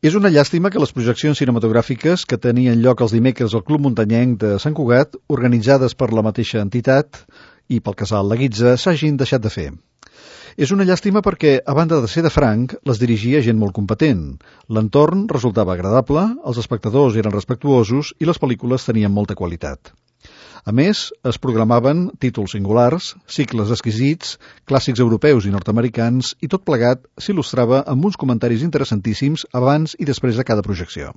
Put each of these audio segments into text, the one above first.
És una llàstima que les projeccions cinematogràfiques que tenien lloc els dimecres al Club Muntanyenc de Sant Cugat, organitzades per la mateixa entitat i pel casal La Guitza, s'hagin deixat de fer. És una llàstima perquè, a banda de ser de franc, les dirigia gent molt competent. L'entorn resultava agradable, els espectadors eren respectuosos i les pel·lícules tenien molta qualitat. A més, es programaven títols singulars, cicles exquisits, clàssics europeus i nord-americans, i tot plegat s'il·lustrava amb uns comentaris interessantíssims abans i després de cada projecció.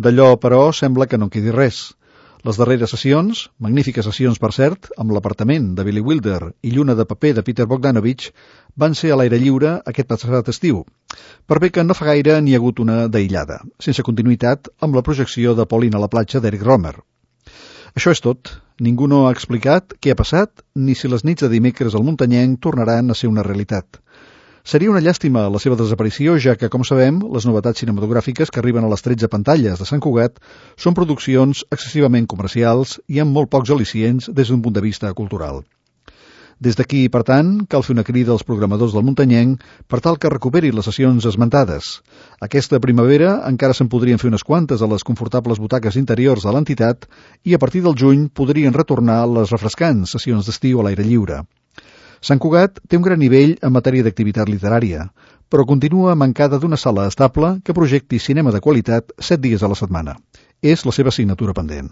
D'allò, però, sembla que no en quedi res. Les darreres sessions, magnífiques sessions per cert, amb L'apartament de Billy Wilder i Lluna de paper de Peter Bogdanovich, van ser a l'aire lliure aquest passat estiu, per bé que no fa gaire n'hi ha hagut una d'aïllada, sense continuïtat amb la projecció de Pauline a la platja d'Eric Rohmer. Això és tot. Ningú no ha explicat què ha passat ni si les nits de dimecres al Muntanyenc tornaran a ser una realitat. Seria una llàstima la seva desaparició, ja que, com sabem, les novetats cinematogràfiques que arriben a les 13 pantalles de Sant Cugat són produccions excessivament comercials i amb molt pocs al·licients des d'un punt de vista cultural. Des d'aquí, per tant, cal fer una crida als programadors del Muntanyenc per tal que recuperi les sessions esmentades. Aquesta primavera encara se'n podrien fer unes quantes a les confortables butaques interiors de l'entitat i a partir del juny podrien retornar les refrescants sessions d'estiu a l'aire lliure. Sant Cugat té un gran nivell en matèria d'activitat literària, però continua mancada d'una sala estable que projecti cinema de qualitat 7 dies a la setmana. És la seva assignatura pendent.